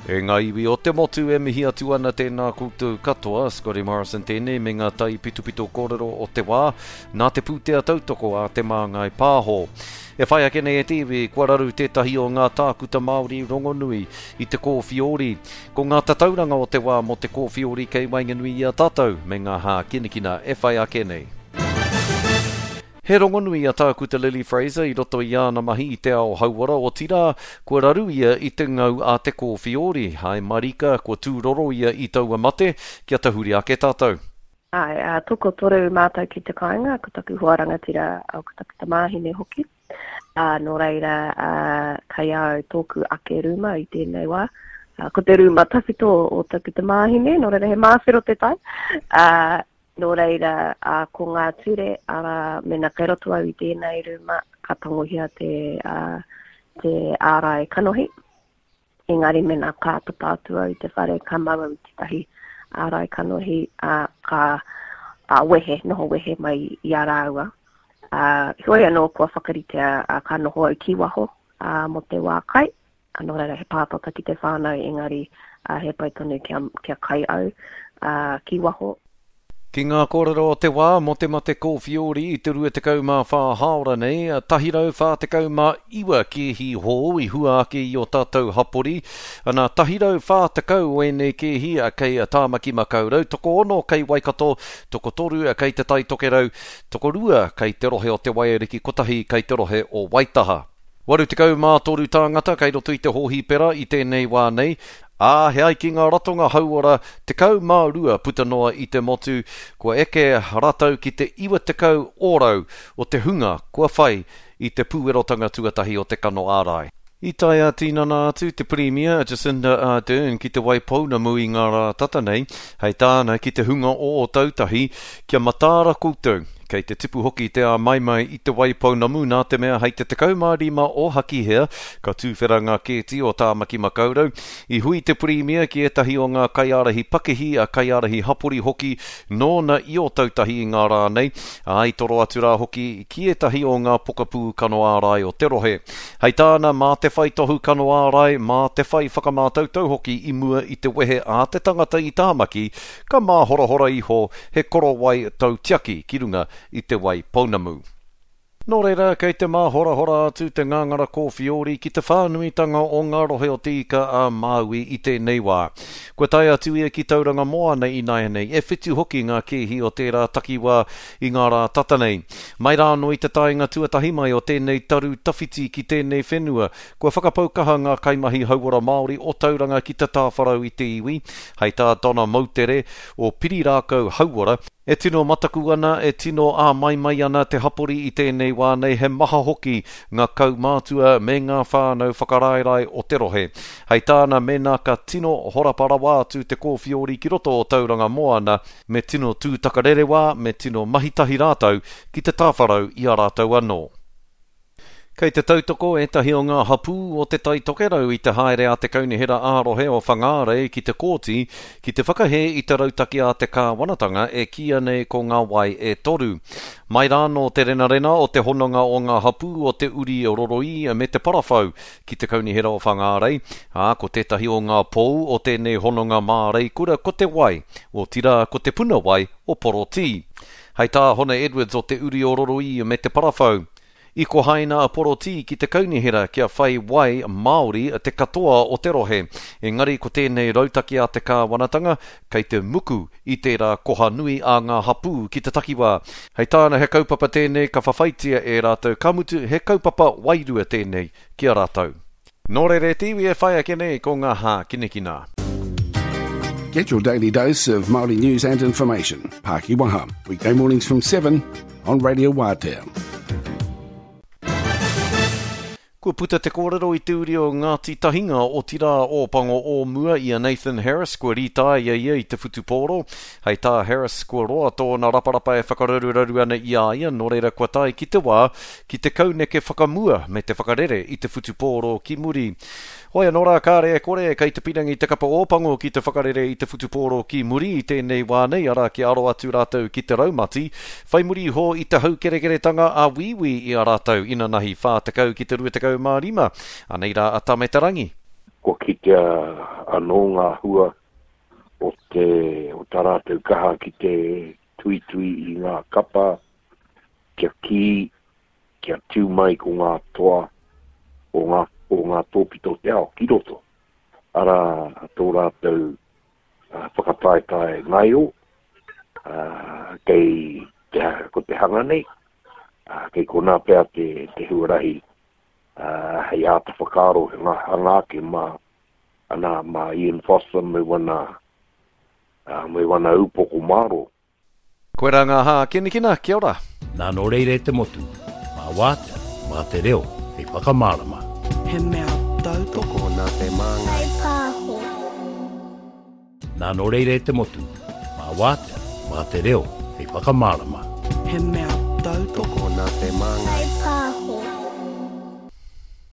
E ngā iwi o te motu e mihi atu ana tēnā koutou katoa, Scotty Morrison tēnei me ngā taipitopito kōrero o te wā, nā te pūtea tautoko a Te Māngai Pāho. E whai ake nei e te iwi, kua raru tētahi o ngā tākuta Māori rongonui i te kōwhiori. Ko ngā tatauranga o te wā mō te kōwhiori kei waenganui i a tātou me ngā hākinakina e whai ake nei. He rongonui a Tākuta Lily Fraser i roto i āna mahi i te ao hauora, otirā, kua raru ia i te ngau a te kōwhiori. Hae marika, kua tūroro ia i taua mate, kia tahuri ake tātou. Āe, ā, tokotoru mātou ki te kāinga, ko taku hoa rangatira, ā, ko taku tamāhine hoki. Ā, nō reira, ā, kei a au tōku ake rūma i tēnei wā. Ā, ko te rūma tawhito o taku tamāhine, nō reira he māwhero te tae. Ā, nō reira, ā, ko ngā ture, arā, mēnā kei roto au i tēnei rūma, ka tangohia te, ā, te ārai kanohi. Engari mēnā ka tata atu au i te whare, ka mau au i tētahi ārai kanohi, ā, ka ā, wehe, noho wehe mai i a rāua. Ā, heoi anō kua whakaritea ā, ka noho au ki waho ā, mō te wā kai, ā, nō reira he pātata ki te whānau engari ā, he pai tonu kia, kia kai au ā, ki waho. Ki ngā kōrero o te wā mō te mate kōwhiori i te 24 hāora nei, 149 kēhi hou i hua ake i ō tātou hapori. Ana, 140 o ēnei kēhi kei Tāmaki Makaurau, tokoono kei Waikato, tokotoru kei Te Tai Tokerau, tokorua kei te rohe o Te Waiariki, kotahi kei te rohe o Waitaha. 83 tāngata kei roto i te hōhipera i tēnei wā nei, ā, he ai ki ngā ratonga hauora 12 puta noa i te motu, kua eke rātou ki te 90 ōrau o te hunga kua whai i te pūerotanga tuatahi o te kano ārai. I tae ā-tinana atu te Pirimia a Jacinda Ardern ki Te Waipounamu i ngā rā tata nei, hei tāna ki te hunga o Ōtautahi, kia mataara koutou. Kei te tipu hoki te āmaimai i Te Waipounamu nā te mea hei te 15 o Hakihea ka tūwhera ngā kēti o Tāmaki Makaurau. I hui te Pirimia ki ētahi o ngā kaiārahi pakihi, a kaiārahi hapori hoki nōna i Ōtautahi i ngā rā nei, ā, i toro atu rā hoki ki ētahi o ngā pokapū kano ārai o te rohe. Hei tāna, mā te whai tohu kano ārai, mā te whai whakamātautau hoki i mua i te wehe a te tangata i Tāmaki, Ka māhorahora iho he korowai tautiaki ki runga i te wai pounamu. Nō reira, kei te māhorahora atu te ngāngara kōwhiori ki te whānuitanga o ngā rohe o Te Ika a Māui i tēnei wā. Kua tae atu ia ki Tauranga Moana ināianei, e whitu hoki ngā kēhi o tērā takiwā i ngā rā tata nei. Mai rā anō i te taenga tuatahi mai o tēnei taru tawhiti ki tēnei whenua, Kua whakapau kaha ngā kaimahi hauora Māori o Tauranga ki te tāwharau i te iwi, hei tā Donna Moutere o Pirirākau Hauora, E tino mataku ana, e tino āmaimai ana te hapori i tēnei wā nei, he maha hoki ngā kaumātua me ngā whānau whakaraerae o te rohe. Hei tāna, mēnā ka tino horapa rawa atu te kōwhiori ki roto o Tauranga Moana, me tino tūtakarerewā, me tino mahitahi rātou ki te tāwharau i a rātou anō. Kei te tautoko ētahi o ngā hapū o Te Tai Tokerau i te haere a te Kaunihera ā-Rohe o Whangārei ki te kōti ki te whakahē i te rautaki a te kāwanatanga e kīia nei ko Ngā Wai e Toru. Mai rānō te renarena o te hononga o ngā hapū o Te Uri Roroī me Te Parawhau ki te Kaunihera o Whangārei, ā, ko tētahi o ngā pou o tēnei hononga māreikura ko te wai, otirā ko te puna wai o Porotī. Hei tā Hone Edwards o Te Uri o Roroī me Te Parawhau, I kohaina a Porotī ki te kaunihera kia whai wai Māori te katoa o te rohe. Engari ko tēnei rautaki a te kāwanatanga, kei te muku i tērā koha nui a ngā hapū ki te takiwā. Hei tāna he kaupapa tēnei ka whawhaitia e rātou, ka mutu he kaupapa wairua tēnei ki a rātou. Nō reira e te iwi e whai ake nei ko ngā hākinakina. Get your daily dose of Māori news and information. Pāki Waha, weekday mornings from 7 on Radio Wātea. Kua puta te kōrero i te uri o Ngāti Tahinga, otirā Ōpango o mua i a Nathan Harris, kua rītāia ia i te whutupōro. Hei tā Harris, kua roa tōna raparapa e whakararuraru ana i a ia, nō reira kua tae ki te wā ki te kauneke whakamua me te whakarere i te whutupōro ki muri. Hoi anō rā, kāre e kore, kei te pirangi te kapa Ōpango ki te whakarere i te whutupōro ki muri i tēnei wā nei, arā, kia aro atu rātou ki te raumati, whai muri iho i te haukerekeretanga a Wīwī i a rātou inanahi 40 ki te 25. Anei rā a Tame Te Rangi. Kua kitea anō ngā hua o te, o tā rātou kaha ki te tuitui i ngā kapa kia kī, kia tū mai ko ngā toa o ngā, o ngā tōpito o te ao ki roto. Arā, tō rātou whakataetae ngaio, kei te, ko te hanga nei, kei konā pea te, te huarahi hei āta whakaaro he ngā hanga ake mā, ana, mā Ian Foster me wana, me wana upoko mārō. Koirā ngā hākinakina, kia ora. Nā nō reira e te motu, mā Wātea, mā te reo hei whakamārama. He mea tautoko nā te Māngai. Pāho. Nā nō reira e te motu, mā Wātea, mā te reo hei whakamārama. He mea tautoko nā te Māngai. Pāho.